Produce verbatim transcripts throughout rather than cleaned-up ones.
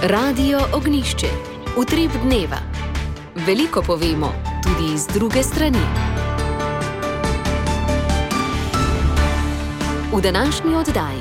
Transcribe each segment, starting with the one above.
Radio Ognišče, utrip dneva. Veliko povemo, tudi iz druge strani. V današnji oddaji.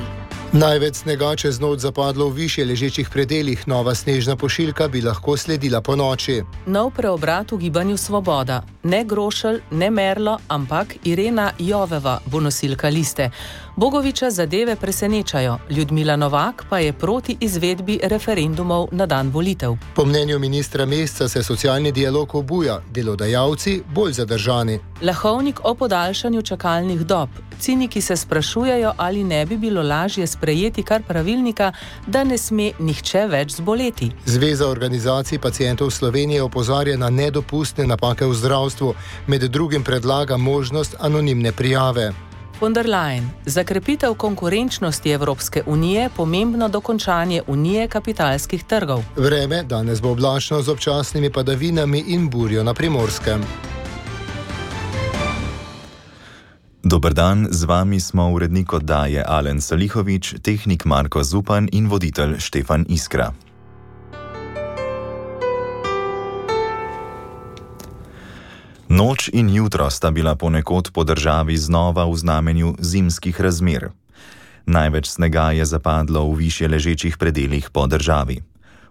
Največ snega čez noč zapadlo v višje ležečih predelih, nova snežna pošiljka bi lahko sledila po noči. Nov preobrat v gibanju Svoboda. Ne Grošelj, ne Merlo, ampak Irena Joveva bo nosilka liste. Bogoviča zadeve presenečajo, Ljudmila Novak pa je proti izvedbi referendumov na dan volitev. Po mnenju ministra Mesca se socialni dialog obuja, delodajalci bolj zadržani. Lahovnik o podaljšanju čakalnih dob. Ciniki se sprašujejo, ali ne bi bilo lažje sprejeti kar pravilnika, da ne sme nihče več zboleti. Zveza organizacij pacientov Slovenije opozarja na nedopustne napake v zdravstvu, med drugim predlaga možnost anonimne prijave. Von der Leyen. Za krepitev konkurenčnosti Evropske unije pomembno dokončanje unije kapitalskih trgov. Vreme danes bo oblačno z občasnimi padavinami in burjo na Primorskem. Dober dan, z vami smo urednik oddaje Alen Salihovič, tehnik Marko Zupan in voditelj Štefan Iskra. Noč in jutro sta bila ponekod po državi znova v znamenju zimskih razmer. Največ snega je zapadlo v višje ležečih predelih po državi.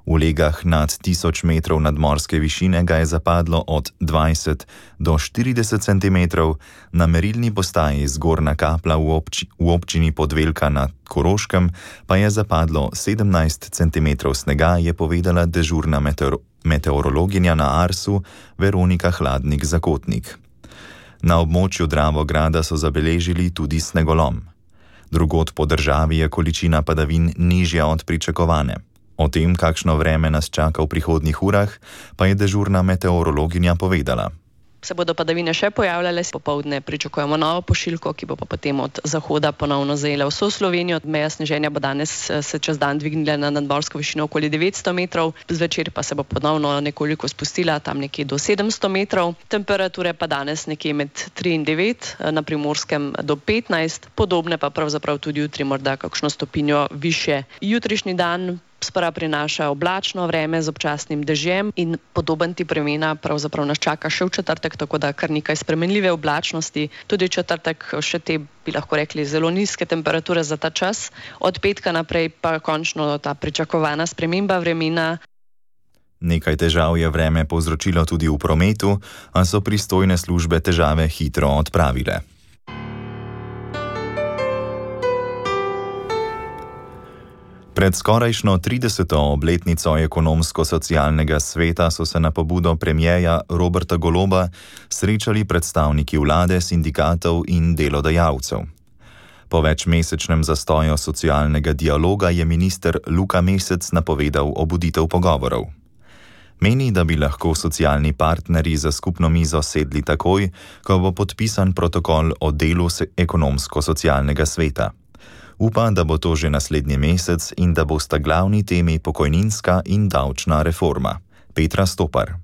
V legah nad tisoč metrov nadmorske višine ga je zapadlo od dvajset do štirideset centimetrov, na merilni postaji Zgornja Kapla v, obči, v občini Podvelka na Koroškem pa je zapadlo sedemnajst centimetrov snega, je povedala dežurna meteor, meteorologinja na Arsu Veronika Hladnik-Zakotnik. Na območju Dravograda so zabeležili tudi snegolom. Drugod po državi je količina padavin nižja od pričakovane. O tem, kakšno vreme nas čaka v prihodnjih urah, pa je dežurna meteorologinja povedala. Se bodo padavine še pojavljale, popoldne pričakujemo novo pošiljko, ki bo pa potem od zahoda ponovno zajela vso Slovenijo. Meja sneženja bo danes se čez dan dvignila na nadmorsko višino okoli devetsto metrov, zvečer pa se bo ponovno nekoliko spustila tam nekje do sedemsto metrov. Temperature pa danes nekje med tri in devet, na Primorskem do petnajst, podobne pa pravzaprav tudi jutri morda kakšno stopinjo više. Jutrišnji dan sprva prinaša oblačno vreme z občasnim dežjem in podoben tip vremena pravzaprav nas čaka še v četrtek, tako da kar nekaj spremenljive oblačnosti. Tudi četrtek še te, bi lahko rekli, zelo nizke temperature za ta čas. Od petka naprej pa končno ta pričakovana sprememba vremena. Nekaj težav je vreme povzročilo tudi v prometu, a so pristojne službe težave hitro odpravile. Pred skorajšnjo trideseto obletnico ekonomsko-socialnega sveta so se na pobudo premierja Roberta Goloba srečali predstavniki vlade, sindikatov in delodajalcev. Po večmesečnem zastoju socialnega dialoga je minister Luka Mesec napovedal obuditev pogovorov. Meni, da bi lahko socialni partnerji za skupno mizo sedli takoj, ko bo podpisan protokol o delu ekonomsko-socialnega sveta. Upa, da bo to že naslednji mesec in da bosta glavni temi pokojninska in davčna reforma. Petra Stopar.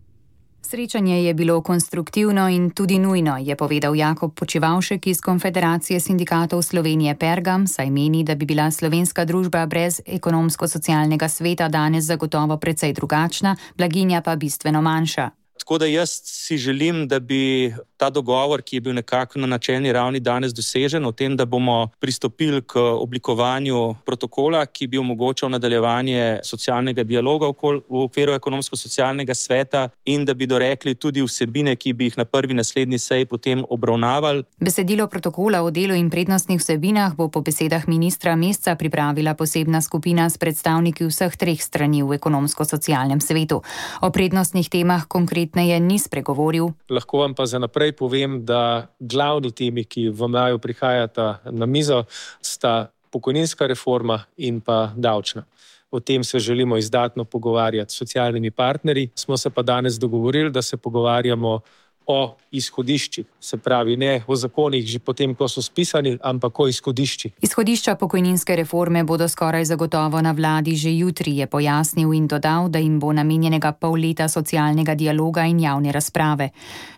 Srečanje je bilo konstruktivno in tudi nujno, je povedal Jakob Počivavšek iz Konfederacije sindikatov Slovenije Pergam, saj meni, da bi bila slovenska družba brez ekonomsko-socialnega sveta danes zagotovo precej drugačna, blaginja pa bistveno manjša. Tako da jaz si želim, da bi ta dogovor, ki je bil nekako na načelni ravni danes dosežen, o tem, da bomo pristopili k oblikovanju protokola, ki bi omogočal nadaljevanje socialnega dialoga v okviru ekonomsko-socialnega sveta in da bi dorekli tudi vsebine, ki bi jih na prvi naslednji seji potem obravnavali. Besedilo protokola o delu in prednostnih vsebinah bo po besedah ministra Mesca pripravila posebna skupina s predstavniki vseh treh strani v ekonomsko-socialnem svetu. O prednostnih temah konkretneje ni spregovoril. Lahko vam pa za naprej povem, da glavni temi, ki v maju prihajata na mizo, sta pokojninska reforma in pa davčna. O tem se želimo izdatno pogovarjati s socialnimi partnerji. Smo se pa danes dogovorili, da se pogovarjamo o izhodiščih, se pravi ne o zakonih že potem, ko so spisani, ampak o izhodiščih. Izhodišča pokojninske reforme bodo skoraj zagotovo na vladi že jutri, je pojasnil in dodal, da jim bo namenjenega pol leta socialnega dialoga in javne razprave.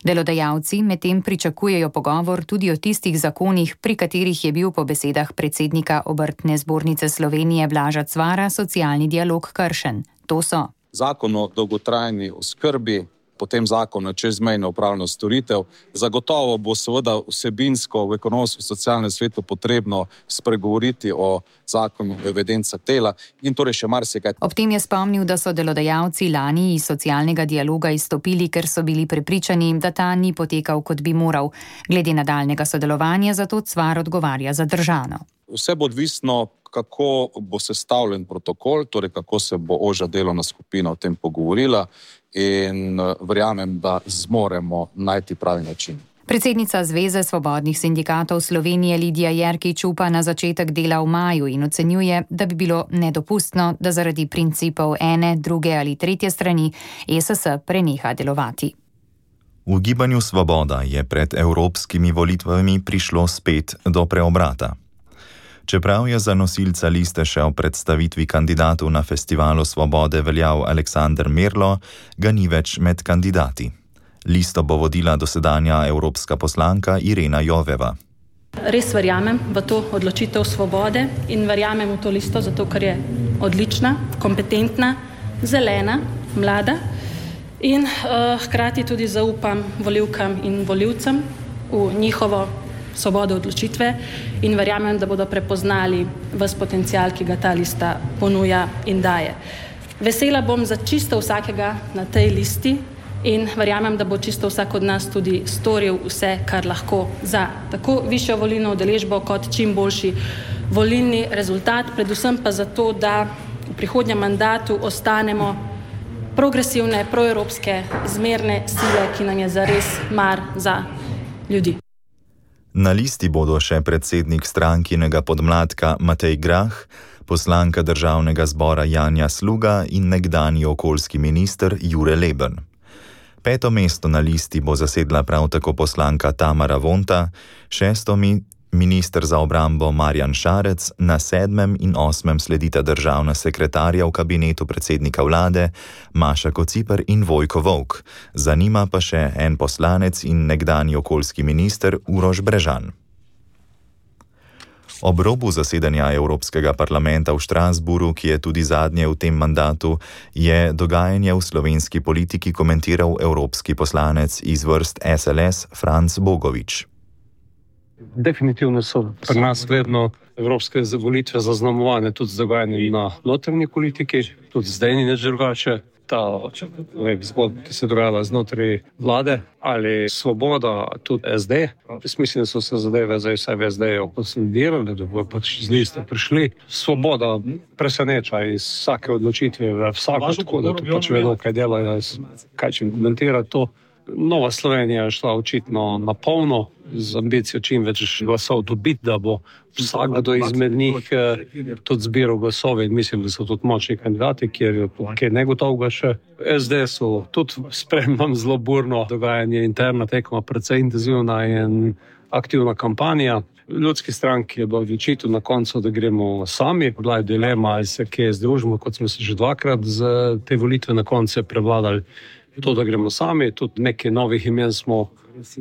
Delodajalci medtem pričakujejo pogovor tudi o tistih zakonih, pri katerih je bil po besedah predsednika Obrtne zbornice Slovenije Blaža Cvara socialni dialog kršen. To so zakon o dolgotrajni oskrbi, potem zakon o čezmejno upravljanju storitev. Zagotovo bo seveda vsebinsko v ekonomsko-socialnem svetu potrebno spregovoriti o zakonu o evidencah dela in torej še marsikaj. Ob tem je spomnil, da so delodajalci lani iz socialnega dialoga izstopili, ker so bili prepričani, da ta ni potekal, kot bi moral. Glede nadaljnega sodelovanja zato Cvar odgovarja zadržano. Vse bo odvisno, kako bo sestavljen protokol, torej kako se bo ožja delovna skupina o tem pogovorila in verjamem, da zmoremo najti pravi način. Predsednica Zveze svobodnih sindikatov Slovenije Lidija Jerkič upa na začetek dela v maju in ocenjuje, da bi bilo nedopustno, da zaradi principov ene, druge ali tretje strani E S S preneha delovati. V Gibanju Svoboda je pred evropskimi volitvami prišlo spet do preobrata. Čeprav je za nosilca liste še o predstavitvi kandidatov na Festivalu Svobode veljal Aleksander Merlo, ga ni več med kandidati. Listo bo vodila dosedanja evropska poslanka Irena Joveva. Res verjamem v to odločitev Svobode in verjamem v to listo, zato ker je odlična, kompetentna, zelena, mlada in uh, hkrati tudi zaupam volivkam in volivcem v njihovo svobodo odločitve in verjamem, da bodo prepoznali ves potencial, ki ga ta lista ponuja in daje. Vesela bom za čisto vsakega na tej listi in verjamem, da bo čisto vsak od nas tudi storil vse, kar lahko za tako višjo volilno udeležbo kot čim boljši volilni rezultat, predvsem pa zato, da v prihodnjem mandatu ostanemo progresivne, proevropske, zmerne sile, ki nam je zares mar za ljudi. Na listi bodo še predsednik strankinega podmladka Matej Grah, poslanka državnega zbora Janja Sluga in nekdanji okoljski minister Jure Leben. Peto mesto na listi bo zasedla prav tako poslanka Tamara Vonta, šesto mi minister za obrambo Marjan Šarec, na sedmem in osmem sledita državna sekretarja v kabinetu predsednika vlade Maša Kociper in Vojko Volk. Za njima pa še en poslanec in nekdanji okoljski minister Uroš Brežan. Ob robu zasedanja Evropskega parlamenta v Štrasburu, ki je tudi zadnje v tem mandatu, je dogajanje v slovenski politiki komentiral evropski poslanec iz vrst S L S Franc Bogovič. Definitivno so pri nas vedno evropske volitve zaznamovane tudi z dogajanjem na notranji politiki, tudi zdaj ni nič drugače. Ta zgodba, ki se dogajala znotraj vlade ali Svoboda, tudi S D. Mislim, da so se zadeve zdaj vsaj v S D-ju konsolidirale, da bodo pač z liste prišli. Svoboda preseneča iz vsake odločitve v vsako, tako da tu pač vedo, kaj delajo, kaj čim komentira to. Nova Slovenija je šla očitno na polno z ambicijo čim več glasov dobiti, da bo vsakdo izmed njih tudi zbiral glasove in mislim, da so tudi močni kandidati, kjer je kaj negotovega še. S D so tudi spremljam zelo burno dogajanje, interna tekma, precej intenzivna in aktivna kampanja. Ljudski stranki je bilo odločitev na koncu, da gremo sami. Bila je dilema, ali se kje združimo, kot smo se že dvakrat z te volitve na koncu prebladali. To, da gremo sami, tudi nekaj novih imen smo,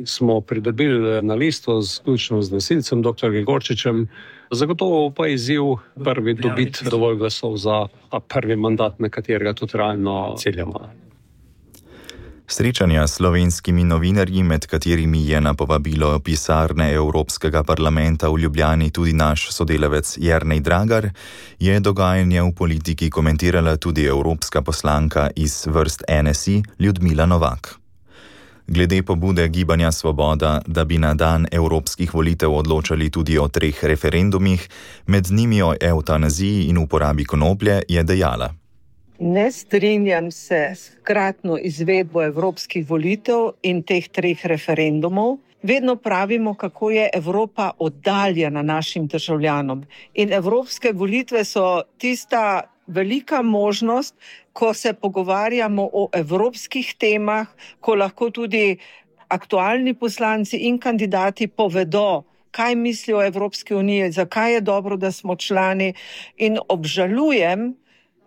smo pridobili na listo, vključno z nosilcem, doktor Gregorčičem. Zagotovo pa je izziv prvi dobiti dovolj glasov za prvi mandat, na katerega tudi realno ciljamo. Srečanja s slovenskimi novinarji, med katerimi je na povabilo pisarne Evropskega parlamenta v Ljubljani tudi naš sodelavec Jernej Dragar, je dogajanje v politiki komentirala tudi evropska poslanka iz vrst N S I Ljudmila Novak. Glede pobude Gibanja Svoboda, da bi na dan evropskih volitev odločali tudi o treh referendumih, med njimi o evtanaziji in uporabi konoplje, je dejala: Ne strinjam se s hkratno izvedbo evropskih volitev in teh treh referendumov. Vedno pravimo, kako je Evropa oddaljena našim državljanom. In evropske volitve so tista velika možnost, ko se pogovarjamo o evropskih temah, ko lahko tudi aktualni poslanci in kandidati povedo, kaj mislijo o Evropski uniji, zakaj je dobro, da smo člani. In obžalujem,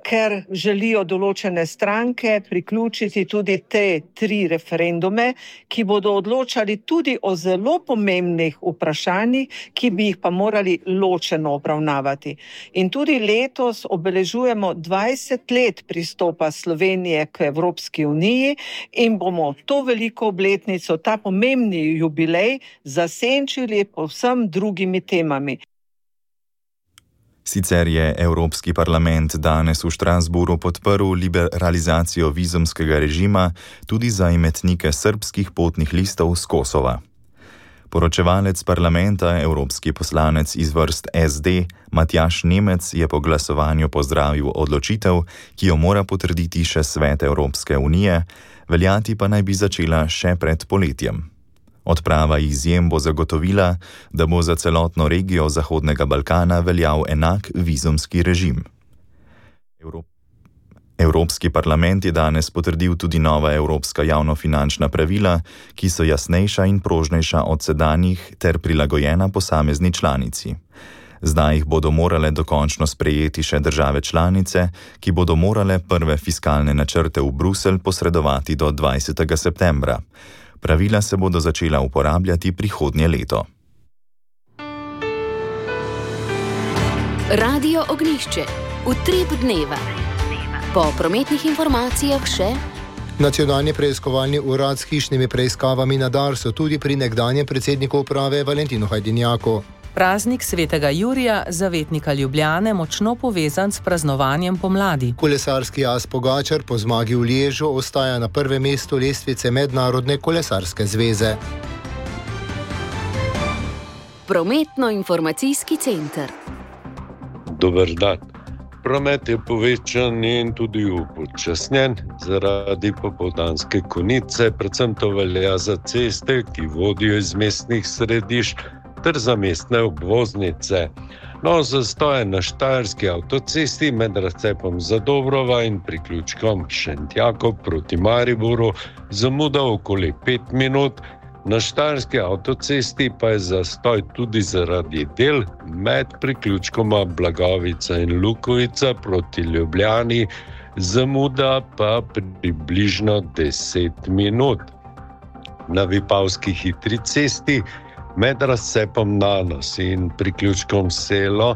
ker želijo določene stranke priključiti tudi te tri referendume, ki bodo odločali tudi o zelo pomembnih vprašanjih, ki bi jih pa morali ločeno obravnavati. In tudi letos obeležujemo dvajset let pristopa Slovenije k Evropski uniji in bomo to veliko obletnico, ta pomembni jubilej, zasenčili povsem drugimi temami. Sicer je Evropski parlament danes v Štrasburu podprl liberalizacijo vizumskega režima tudi za imetnike srbskih potnih listov z Kosova. Poročevalec parlamenta, evropski poslanec iz vrst es de, Matjaž Nemec, je po glasovanju pozdravil odločitev, ki jo mora potrditi še Svet Evropske unije, veljati pa naj bi začela še pred poletjem. Odprava izjem bo zagotovila, da bo za celotno regijo Zahodnega Balkana veljal enak vizumski režim. Evrop... Evropski parlament je danes potrdil tudi nova evropska javnofinančna pravila, ki so jasnejša in prožnejša od sedanjih ter prilagojena posamezni članici. Zdaj jih bodo morale dokončno sprejeti še države članice, ki bodo morale prve fiskalne načrte v Bruselj posredovati do dvajsetega septembra. Pravila se bodo začela uporabljati prihodnje leto. Radio Ognjišče. Utrip dneva. Po prometnih informacijah še Nacionalni preiskovalni urad s hišnimi preiskavami na Darsu tudi pri nekdanjem predsedniku uprave Valentinu Hajdinjaku. Praznik svetega Jurija, zavetnika Ljubljane, močno povezan s praznovanjem pomladi. Kolesarski as Pogačar po zmagi v Liežu ostaja na prvem mestu lestvice Mednarodne kolesarske zveze. Prometno-informacijski center. Dober dan. Promet je povečan in tudi upočasnjen zaradi popoldanske konice, predvsem to velja za ceste, ki vodijo iz mestnih središč, ter za mestne obvoznice. No, zastoje na Štajerski avtocesti med razcepom Zadobrova in priključkom Šentjakov proti Mariboru zamuda okoli pet minut, na Štajerski avtocesti pa je zastoj tudi zaradi del med priključkoma Blagovica in Lukovica proti Ljubljani, zamuda pa približno deset minut. Na Vipavski hitri cesti med razcepom Nanos in priključkom Selo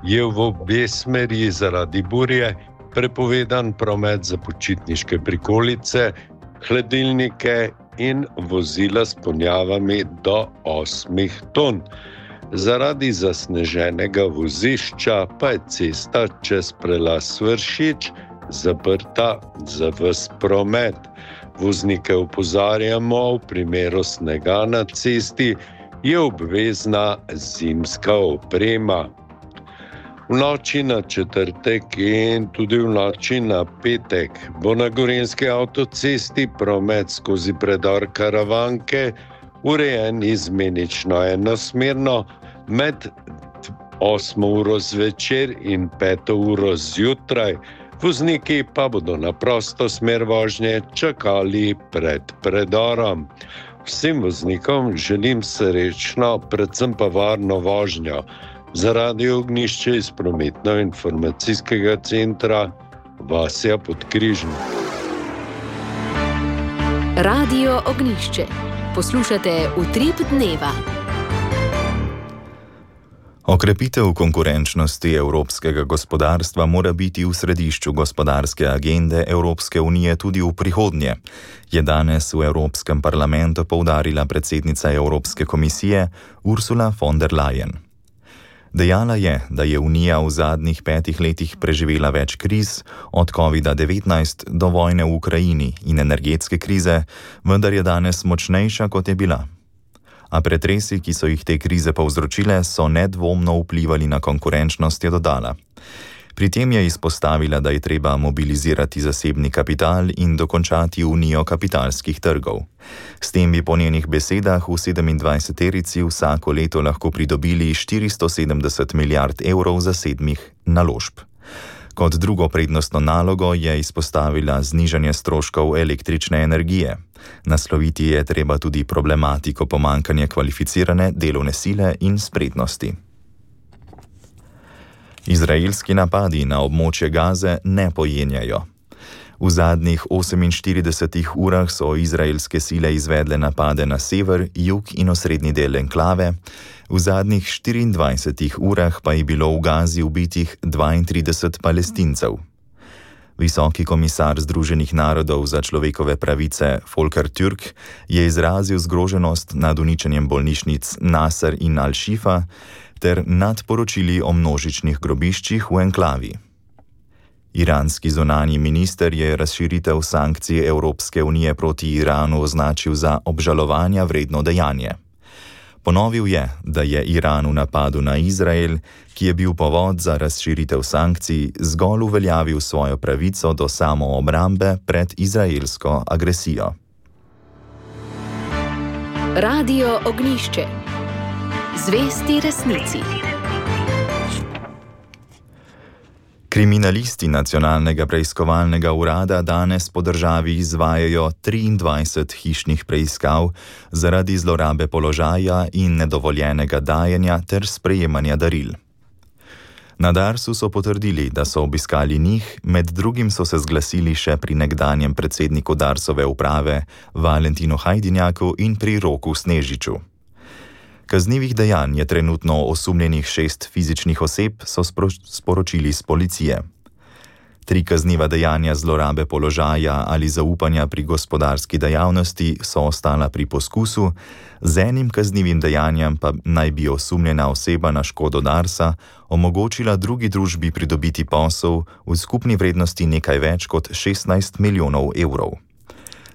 je v obe smeri zaradi burje prepovedan promet za počitniške prikolice, hladilnike in vozila s ponjavami do osmih ton. Zaradi zasneženega vozišča pa je cesta čez prelaz Svršič zaprta za ves promet. Voznike opozarjamo, v primeru snega na cesti je obvezna zimska oprema. V noči na četrtek in tudi v noči na petek bo na Gorenjski avtocesti promet skozi predor Karavanke urejen izmenično enosmerno med osmo uro zvečer in peto uro zjutraj. Vozniki pa bodo na prosto smer vožnje čakali pred predorom. Vsem voznikom želim srečno, predvsem pa varno vožnjo. Za Radio Ognjišče iz prometno-informacijskega centra Vasja Podkrižnik. Radio Ognjišče. Poslušate Utrip dneva. Okrepitev konkurenčnosti evropskega gospodarstva mora biti v središču gospodarske agende Evropske unije tudi v prihodnje, je danes v Evropskem parlamentu poudarila predsednica Evropske komisije Ursula von der Leyen. Dejala je, da je Unija v zadnjih petih letih preživela več kriz, od kovida devetnajst do vojne v Ukrajini in energetske krize, vendar je danes močnejša, kot je bila. A pretresi, ki so jih te krize povzročile, so nedvomno vplivali na konkurenčnost, je dodala. Pri tem je izpostavila, da je treba mobilizirati zasebni kapital in dokončati unijo kapitalskih trgov. S tem bi po njenih besedah v sedemindvajseterici vsako leto lahko pridobili štiristo sedemdeset milijard evrov zasebnih naložb. Kot drugo prednostno nalogo je izpostavila znižanje stroškov električne energije. Nasloviti je treba tudi problematiko pomanjkanja kvalificirane delovne sile in spretnosti. Izraelski napadi na območje Gaze ne pojenjajo. V zadnjih oseminštiridesetih urah so izraelske sile izvedle napade na sever, jug in osrednji del enklave, v zadnjih štiriindvajsetih urah pa je bilo v Gazi ubitih dvaintrideset Palestincev. Visoki komisar Združenih narodov za človekove pravice Volker Türk je izrazil zgroženost nad uničenjem bolnišnic Nasser in Al-Shifa ter nad poročili o množičnih grobiščih v enklavi. Iranski zunanji minister je razširitev sankcij Evropske unije proti Iranu označil za obžalovanja vredno dejanje. Ponovil je, da je Iran v napadu na Izrael, ki je bil povod za razširitev sankcij, zgolj uveljavil svojo pravico do samoobrambe pred izraelsko agresijo. Radio Ognjišče. Zvesti resnici. Kriminalisti Nacionalnega preiskovalnega urada danes po državi izvajajo triindvajset hišnih preiskav zaradi zlorabe položaja in nedovoljenega dajanja ter sprejemanja daril. Na Darsu so potrdili, da so obiskali njih, med drugim so se zglasili še pri nekdanjem predsedniku Darsove uprave Valentinu Hajdinjaku in pri Roku Snežiču. Kaznivih dejanj je trenutno osumljenih šest fizičnih oseb, so sporočili z policije. Tri kazniva dejanja zlorabe položaja ali zaupanja pri gospodarski dejavnosti so ostala pri poskusu, z enim kaznivim dejanjem pa naj bi osumljena oseba na škodo Darsa omogočila drugi družbi pridobiti posel v skupni vrednosti nekaj več kot šestnajst milijonov evrov.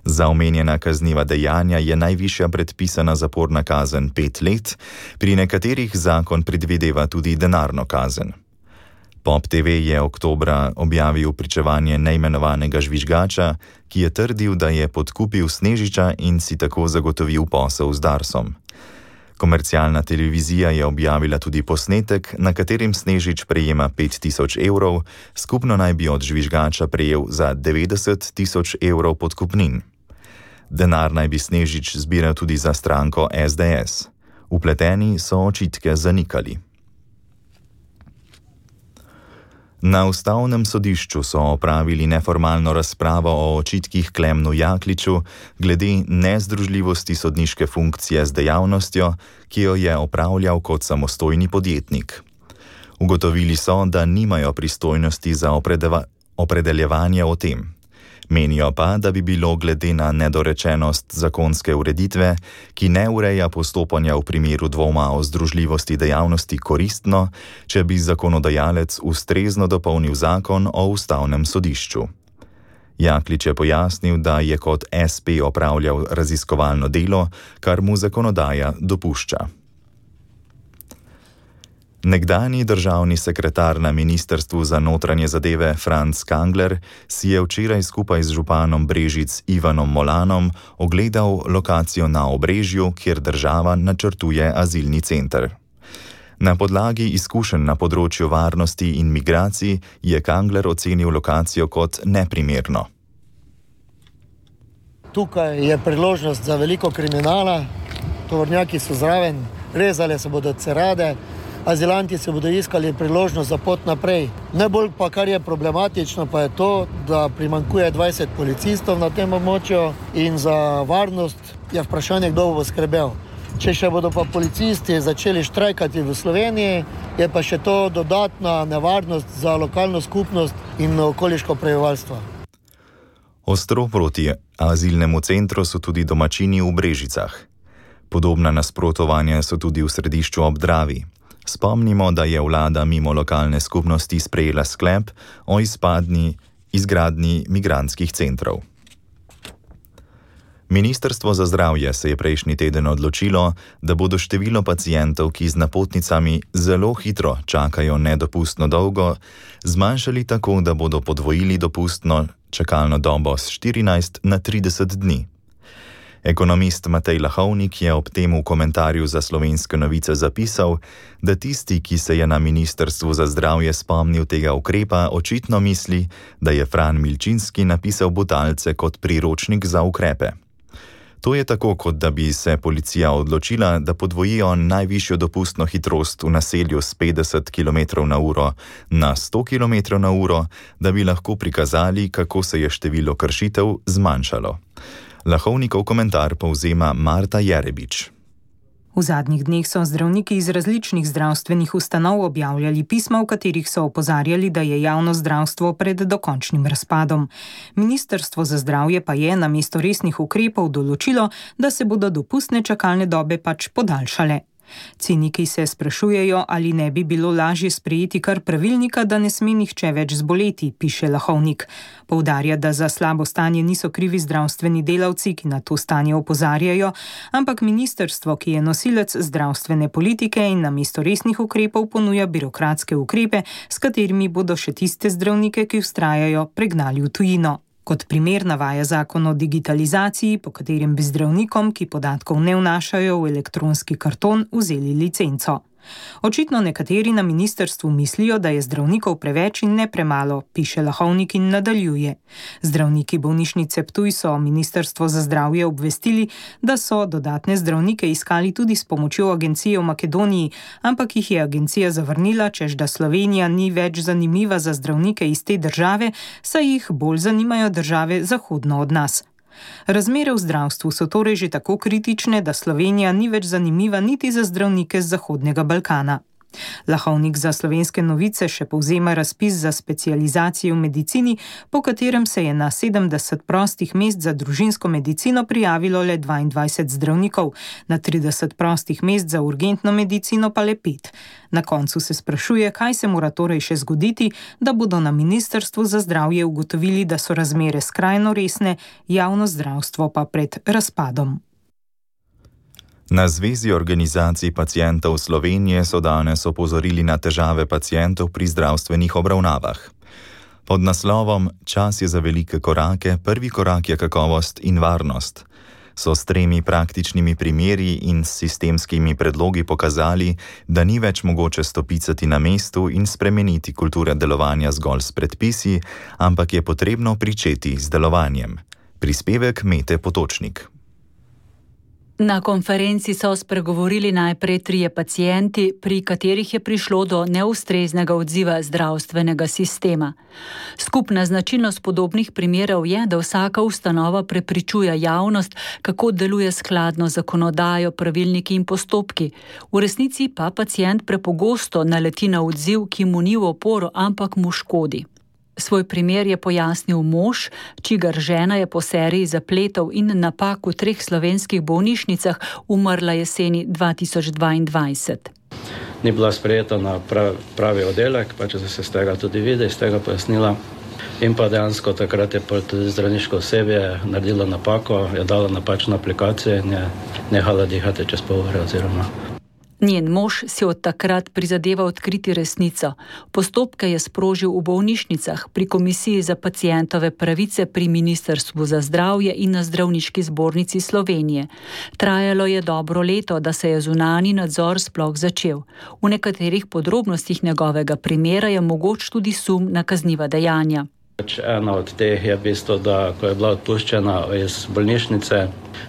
Za omenjena kazniva dejanja je najvišja predpisana zaporna kazen pet let, pri nekaterih zakon predvideva tudi denarno kazen. Pop te ve je oktobra objavil pričevanje neimenovanega žvižgača, ki je trdil, da je podkupil Snežiča in si tako zagotovil posel z Darsom. Komercialna televizija je objavila tudi posnetek, na katerem Snežič prejema pet tisoč evrov, skupno naj bi od žvižgača prejel za devetdeset tisoč evrov podkupnin. Denar naj bi Snežič zbiral tudi za stranko es de es. Vpleteni so očitke zanikali. Na ustavnem sodišču so opravili neformalno razpravo o očitkih Klemnu Jakliču glede nezdružljivosti sodniške funkcije z dejavnostjo, ki jo je opravljal kot samostojni podjetnik. Ugotovili so, da nimajo pristojnosti za opredeva, opredeljevanje o tem. Menijo pa, da bi bilo glede na nedorečenost zakonske ureditve, ki ne ureja postopanja v primeru dvoma o združljivosti dejavnosti, koristno, če bi zakonodajalec ustrezno dopolnil zakon o ustavnem sodišču. Jaklič je pojasnil, da je kot es pe opravljal raziskovalno delo, kar mu zakonodaja dopušča. Nekdanji državni sekretar na Ministrstvu za notranje zadeve Franc Kangler si je včeraj skupaj z županom Brežic Ivanom Molanom ogledal lokacijo na Obrežju, kjer država načrtuje azilni center. Na podlagi izkušenj na področju varnosti in migracij je Kangler ocenil lokacijo kot neprimerno. Tukaj je priložnost za veliko kriminala, tovornjaki so zraven, rezale se bodo cerade, azilanti se bodo iskali priložnost za pot naprej. Najbolj pa, kar je problematično, pa je to, da primanjkuje dvajset policistov na tem območju in za varnost je vprašanje, kdo bo skrbel. Če še bodo pa policisti začeli štrajkati v Sloveniji, je pa še to dodatna nevarnost za lokalno skupnost in okoliško prebivalstvo. Ostro proti azilnemu centru so tudi domačini v Brežicah. Podobna nasprotovanja so tudi v Središču ob Dravi. Spomnimo, da je vlada mimo lokalne skupnosti sprejela sklep o izpadni izgradnji migrantskih centrov. Ministrstvo za zdravje se je prejšnji teden odločilo, da bodo število pacientov, ki z napotnicami zelo hitro čakajo nedopustno dolgo, zmanjšali tako, da bodo podvojili dopustno čakalno dobo s štirinajst na trideset dni. Ekonomist Matej Lahovnik je ob tem v komentarju za Slovenske novice zapisal, da tisti, ki se je na Ministrstvu za zdravje spomnil tega ukrepa, očitno misli, da je Fran Milčinski napisal Butalce kot priročnik za ukrepe. To je tako, kot da bi se policija odločila, da podvojijo najvišjo dopustno hitrost v naselju s petdeset kilometrov na uro na sto kilometrov na uro, da bi lahko prikazali, kako se je število kršitev zmanjšalo. Lahovnikov komentar povzema Marta Jerebič. V zadnjih dneh so zdravniki iz različnih zdravstvenih ustanov objavljali pisma, v katerih so opozarjali, da je javno zdravstvo pred dokončnim razpadom. Ministrstvo za zdravje pa je namesto resnih ukrepov določilo, da se bodo dopustne čakalne dobe pač podaljšale. Ciniki se sprašujejo, ali ne bi bilo lažje sprejeti kar pravilnika, da ne sme nihče več zboleti, piše Lahovnik. Poudarja, da za slabo stanje niso krivi zdravstveni delavci, ki na to stanje opozarjajo, ampak ministrstvo, ki je nosilec zdravstvene politike in namesto resnih ukrepov ponuja birokratske ukrepe, s katerimi bodo še tiste zdravnike, ki vztrajajo, pregnali v tujino. Kot primer navaja zakon o digitalizaciji, po katerem bi zdravnikom, ki podatkov ne vnašajo v elektronski karton, vzeli licenco. Očitno nekateri na ministrstvu mislijo, da je zdravnikov preveč in ne premalo, piše Lahovnik in nadaljuje. Zdravniki bolnišnice Ptuj so Ministrstvo za zdravje obvestili, da so dodatne zdravnike iskali tudi s pomočjo agencije v Makedoniji, ampak jih je agencija zavrnila, češ da Slovenija ni več zanimiva za zdravnike iz te države, saj jih bolj zanimajo države zahodno od nas. Razmere v zdravstvu so torej že tako kritične, da Slovenija ni več zanimiva niti za zdravnike z Zahodnega Balkana. Lahovnik za Slovenske novice še povzema razpis za specializacijo v medicini, po katerem se je na sedemdeset prostih mest za družinsko medicino prijavilo le dvaindvajset zdravnikov, na trideset prostih mest za urgentno medicino pa le pet. Na koncu se sprašuje, kaj se mora torej še zgoditi, da bodo na Ministrstvu za zdravje ugotovili, da so razmere skrajno resne, javno zdravstvo pa pred razpadom. Na Zvezi organizacij pacientov Slovenije so danes opozorili na težave pacientov pri zdravstvenih obravnavah. Pod naslovom Čas je za velike korake, prvi korak je kakovost in varnost so s tremi praktičnimi primeri in sistemskimi predlogi pokazali, da ni več mogoče stopicati na mestu in spremeniti kulture delovanja zgolj s predpisi, ampak je potrebno pričeti z delovanjem. Prispevek Mete Potočnik. Na konferenci so spregovorili najprej trije pacienti, pri katerih je prišlo do neustreznega odziva zdravstvenega sistema. Skupna značilnost podobnih primerov je, da vsaka ustanova prepričuje javnost, kako deluje skladno z zakonodajo, pravilniki in postopki. V resnici pa pacient prepogosto naleti na odziv, ki mu ni v oporo, ampak mu škodi. Svoj primer je pojasnil mož, čigar žena je po seriji zapletov in napak v treh slovenskih bolnišnicah umrla jeseni dva tisoč dvaindvajset. Ni bila sprejeta na pravi, pravi oddelek, pa če se z tega tudi vidi, iz tega pojasnila. In pa dejansko takrat je tudi zdravniško osebje naredilo napako, je dalo napačno aplikacijo in je nehala dihati čez pol ure oziroma. Njen mož si od takrat prizadeva odkriti resnico. Postopke je sprožil v bolnišnicah, pri Komisiji za pacientove pravice pri Ministrstvu za zdravje in na Zdravniški zbornici Slovenije. Trajalo je dobro leto, da se je zunanji nadzor sploh začel. V nekaterih podrobnostih njegovega primera je mogoč tudi sum na kazniva dejanja. Ena od teh je v bistvu, da ko je bila odpuščena iz bolnišnice,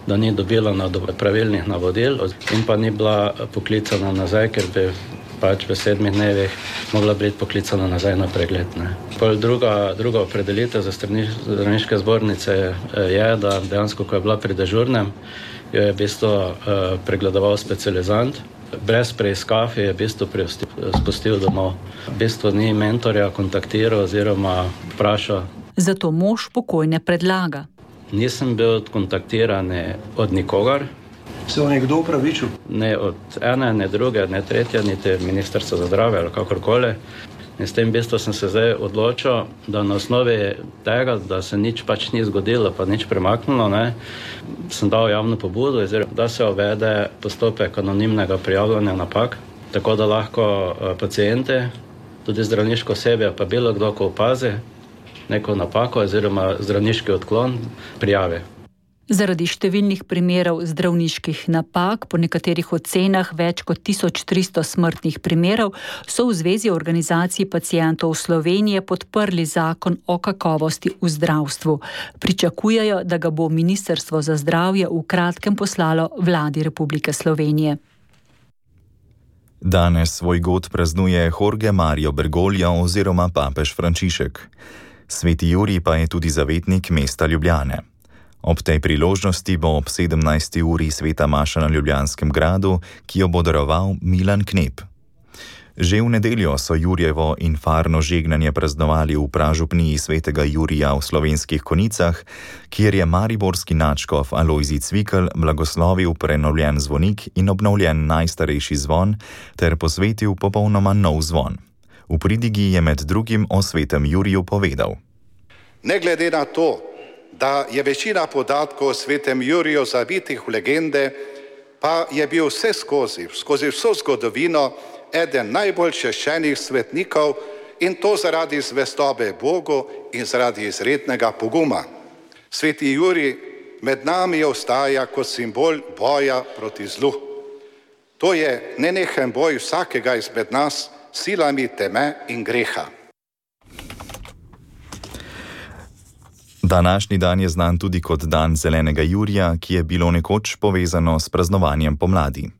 da ni dobila pravilnih navodil in pa ni bila poklicana nazaj, ker bi pač v sedmih dnevih mogla biti poklicana nazaj na pregled. Ne. Druga, druga opredelitev za Zdravniške zbornice je, da dejansko, ko je bila pri dežurnem, jo je v bistvu pregledoval specializant. Brez preiskav je v bistvu spustil domov. V bistvu ni mentorja kontaktiral oziroma vprašal. Zato mož pokojne predlaga. Nisem bil kontaktiran od nikogar. Se vam je kdo upravičil? Ne od ene, ne druge, ne tretje, niti Ministrstva za zdravje ali kakorkoli. In s tem v bistvu sem se zdaj odločil, da na osnovi tega, da se nič pač ni zgodilo, pa nič premaknilo, ne, sem dal javno pobudo, da se uvede postopek anonimnega prijavljanja napak, tako da lahko pacienti, tudi zdravniško osebje, pa bilo kdo, ko opazi neko napako oziroma zdravniški odklon, prijavi. Zaradi številnih primerov zdravniških napak, po nekaterih ocenah več kot tisoč tristo smrtnih primerov, so v Zvezi organizacij pacientov Slovenije podprli zakon o kakovosti v zdravstvu. Pričakujejo, da ga bo Ministrstvo za zdravje v kratkem poslalo Vladi Republike Slovenije. Danes svoj god praznuje Jorge Mario Bergoglio oziroma papež Frančišek. Sveti Jurij pa je tudi zavetnik mesta Ljubljane. Ob tej priložnosti bo ob sedemnajsti uri sveta maša na Ljubljanskem gradu, ki jo bo daroval Milan Knep. Že v nedeljo so Jurjevo infarno žegnanje praznovali v pražupniji svetega Jurija v Slovenskih Konjicah, kjer je mariborski nadškof Alojzij Cvikl blagoslovil prenovljen zvonik in obnovljen najstarejši zvon ter posvetil popolnoma nov zvon. V pridigi je med drugim o svetem Juriju povedal: Ne glede na to, da je večina podatkov o svetem Juriju zavitih v legende, pa je bil vse skozi, skozi vso zgodovino eden najbolj češčenih svetnikov in to zaradi zvestobe Bogu in zaradi izrednega poguma. Sveti Jurij med nami ostaja kot simbol boja proti zlu. To je nenehen boj vsakega izmed nas s silami teme in greha. Današnji dan je znan tudi kot dan zelenega Jurija, ki je bilo nekoč povezano s praznovanjem pomladi.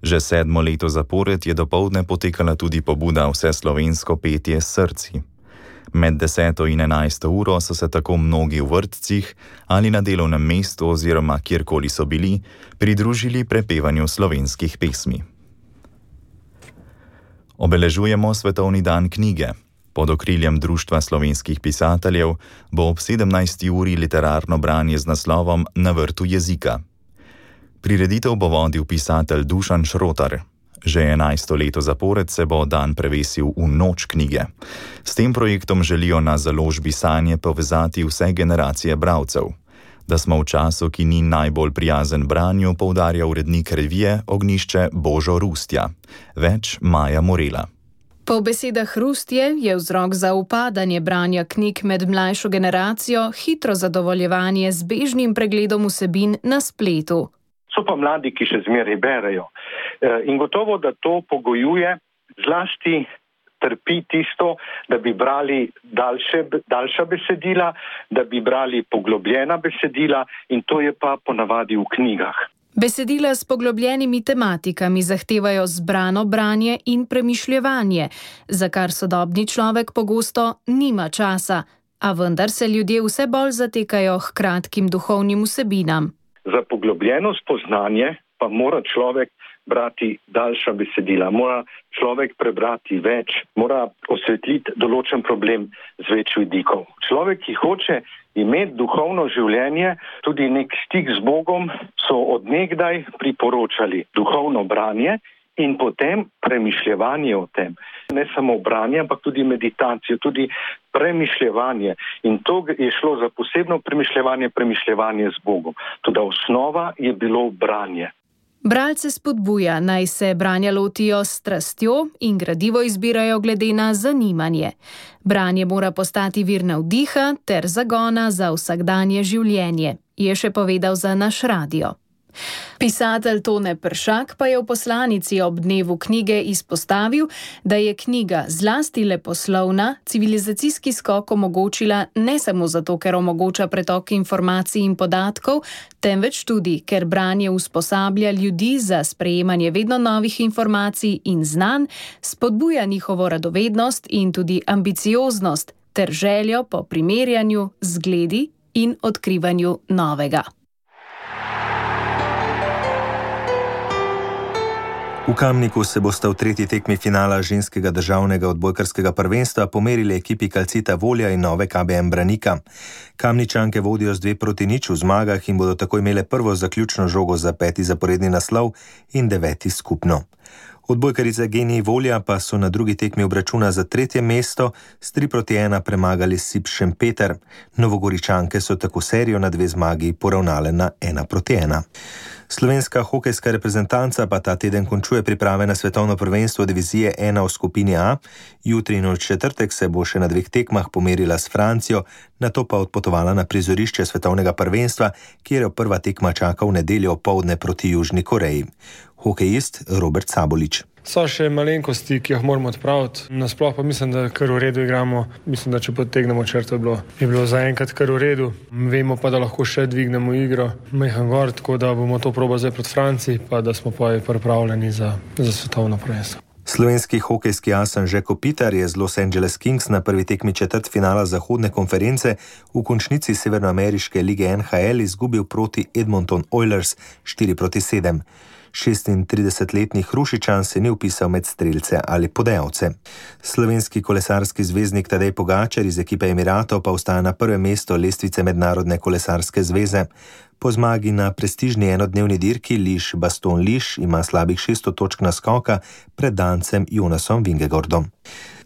Že sedmo leto zapored je dopoldne potekala tudi pobuda Vseslovensko petje s srci. Med deseto in enajsto uro so se tako mnogi v vrtcih ali na delovnem mestu oziroma kjerkoli so bili, pridružili prepevanju slovenskih pesmi. Obeležujemo Svetovni dan knjige. Pod okriljem Društva slovenskih pisateljev bo ob sedemnajsti uri literarno branje z naslovom Na vrtu jezika. Prireditev bo vodil pisatelj Dušan Šrotar. Že enajsto leto zapored se bo dan prevesil v noč knjige. S tem projektom želijo na založbi Sanje povezati vse generacije bralcev. Da smo v času, ki ni najbolj prijazen branju, poudarja urednik revije Ognjišče Božo Rustja. Več Maja Morela. Po besedah Rustje je vzrok za upadanje branja knjig med mlajšo generacijo hitro zadovoljevanje z bežnim pregledom vsebin na spletu. So pa mladi, ki še zmeraj berejo. In gotovo, da to pogojuje, zlasti trpi tisto, da bi brali daljše, daljša besedila, da bi brali poglobljena besedila in to je pa ponavadi v knjigah. Besedila s poglobljenimi tematikami zahtevajo zbrano branje in premišljevanje, za kar sodobni človek pogosto nima časa, a vendar se ljudje vse bolj zatekajo k kratkim duhovnim vsebinam. Za poglobljeno spoznanje pa mora človek brati daljša besedila, mora človek prebrati več, mora osvetliti določen problem z več vidikov. Človek, ki hoče imeti duhovno življenje, tudi nek stik z Bogom, so odnegdaj priporočali duhovno branje in potem premišljevanje o tem. Ne samo branje, ampak tudi meditacijo, tudi premišljevanje. In to je šlo za posebno premišljevanje, premišljevanje z Bogom. Toda osnova je bilo branje. Bralce spodbuja, naj se branja lotijo s strastjo in gradivo izbirajo glede na zanimanje. Branje mora postati vir navdiha ter zagona za vsakdanje življenje, je še povedal za naš radio. Pisatelj Tone Peršak pa je v poslanici ob dnevu knjige izpostavil, da je knjiga zlasti leposlovna civilizacijski skok omogočila ne samo zato, ker omogoča pretok informacij in podatkov, temveč tudi, ker branje usposablja ljudi za sprejemanje vedno novih informacij in znanj, spodbuja njihovo radovednost in tudi ambicioznost ter željo po primerjanju, zgledi in odkrivanju novega. V Kamniku se bosta v tretji tekmi finala ženskega državnega odbojkarskega prvenstva pomerili ekipi Calcita Volja in Nove K B M Branika. Kamničanke vodijo z dve proti nič v zmagah in bodo tako imele prvo zaključno žogo za peti zaporedni naslov in deveti skupno. Odbojkarice Genij Volja pa so na drugi tekmi obračuna za tretje mesto s tri proti ena premagali Sip Šempeter. Novogoričanke so tako serijo na dve zmagi poravnale na ena proti ena. Slovenska hokejska reprezentanca pa ta teden končuje priprave na svetovno prvenstvo divizije ena v skupini A. Jutri in v četrtek se bo še na dveh tekmah pomerila s Francijo, nato pa odpotovala na prizorišče svetovnega prvenstva, kjer jo prva tekma čaka v nedeljo opoldne proti Južni Koreji. Hokejist Robert Sabolič. So še malenkosti, ki jih moramo odpraviti. Nasploh pa mislim, da kar v redu igramo. Mislim, da če potegnemo črto, je bilo, je bilo zaenkrat kar v redu. Vemo pa, da lahko še dvignemo igro. Mehan gor, tako da bomo to probali zdaj proti Franciji, pa da smo pa pripravljeni za, za svetovno prvenstvo. Slovenski hokejski as Anže Kopitar je z Los Angeles Kings na prvi tekmi četrtfinala zahodne konference v končnici severnoameriške lige N H L izgubil proti Edmonton Oilers štiri proti sedem. šestintridesetletni Hrušičan se ni vpisal med strelce ali podajalce. Slovenski kolesarski zvezdnik Tadej Pogačar iz ekipe Emiratov pa ostaja na prvem mestu lestvice Mednarodne kolesarske zveze. Po zmagi na prestižni enodnevni dirki Liš Baston Liš ima slabih šeststo točk naskoka pred Dancem Jonasom Vingegordom.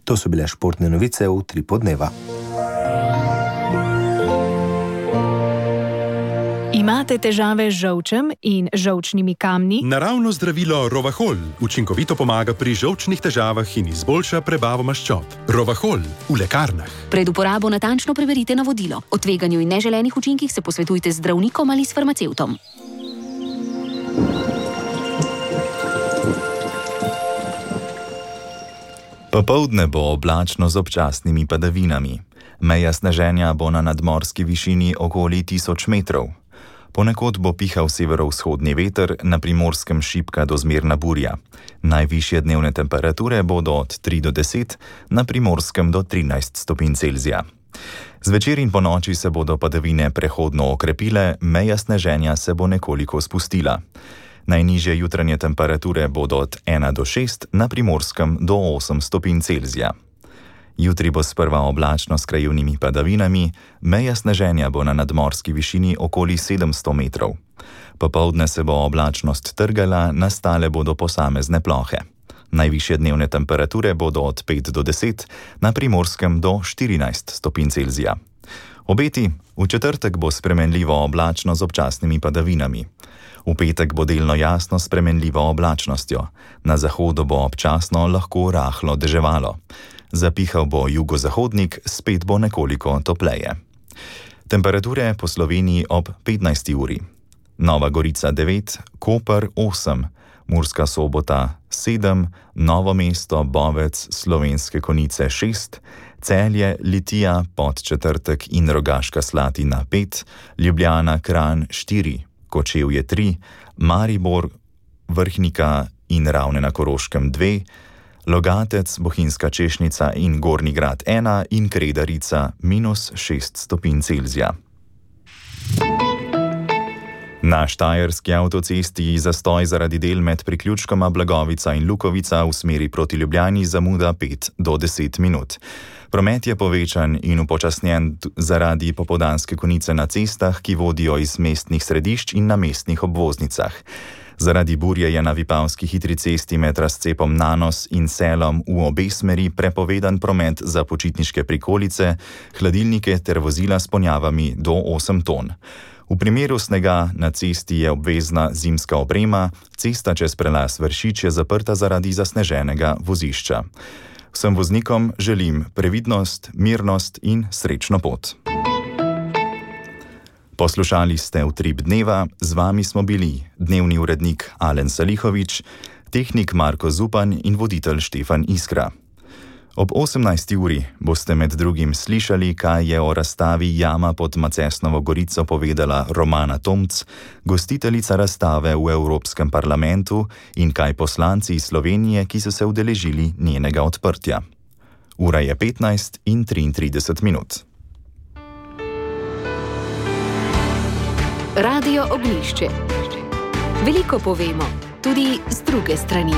To so bile športne novice v Utripu dneva. Imate težave z žolčem in žolčnimi kamni? Naravno zdravilo Rovahol učinkovito pomaga pri žolčnih težavah in izboljša prebavo maščob. Rovahol v lekarnah. Pred uporabo natančno preverite navodilo. O tveganju in neželenih učinkih se posvetujte z zdravnikom ali s farmacevtom. Popoldne bo oblačno z občasnimi padavinami. Meja sneženja bo na nadmorski višini okoli tisoč metrov. Ponekod bo pihal severovzhodni veter, na Primorskem šibka do zmerna burja. Najvišje dnevne temperature bodo od tri do deset, na Primorskem do trinajst stopinj Celzija. Zvečer in ponoči se bodo padavine prehodno okrepile, meja sneženja se bo nekoliko spustila. Najnižje jutranje temperature bodo od ena do šest, na Primorskem do osem stopinj Celzija. Jutri bo sprva oblačno s krajevnimi padavinami, meja sneženja bo na nadmorski višini okoli sedemsto metrov. Popoldne se bo oblačnost trgala, nastale bodo posamezne plohe. Najvišje dnevne temperature bodo od pet do deset, na Primorskem do štirinajst stopinj Celzija. Obeti: v četrtek bo spremenljivo oblačno z občasnimi padavinami. V petek bo delno jasno s spremenljivo oblačnostjo. Na zahodu bo občasno lahko rahlo deževalo. Zapihal bo jugozahodnik, spet bo nekoliko topleje. Temperature po Sloveniji ob petnajsti uri. Nova Gorica devet, Koper osem, Murska Sobota sedem, Novo mesto, Bovec, Slovenske Konjice šest, Celje, Litija, Podčetrtek in Rogaška Slatina pet, Ljubljana, Kranj štiri, Kočevje tri, Maribor, Vrhnika in Ravne na Koroškem dve, Logatec, Bohinjska Češnica in Gornji Grad ena in Kredarica minus šest stopinj Celzija. Na štajerski avtocesti zastoj zaradi del med priključkoma Blagovica in Lukovica v smeri proti Ljubljani zamuda pet do deset minut. Promet je povečan in upočasnjen zaradi popoldanske konice na cestah, ki vodijo iz mestnih središč in na mestnih obvoznicah. Zaradi burje je na Vipavski hitri cesti med razcepom Nanos in Selom v obe smeri prepovedan promet za počitniške prikolice, hladilnike ter vozila s ponjavami do osem ton. V primeru snega na cesti je obvezna zimska oprema, cesta čez prelaz Vršič je zaprta zaradi zasneženega vozišča. Vsem voznikom želim previdnost, mirnost in srečno pot. Poslušali ste Utrip dneva, z vami smo bili dnevni urednik Alen Salihovič, tehnik Marko Zupan in voditelj Štefan Iskra. Ob osemnajsti uri boste med drugim slišali, kaj je o razstavi Jama pod Macesnovo Gorico povedala Romana Tomc, gostiteljica razstave v Evropskem parlamentu, in kaj poslanci iz Slovenije, ki so se udeležili njenega odprtja. Ura je petnajst in triintrideset minut. Radio Ognjišče. Veliko povemo, tudi z druge strani.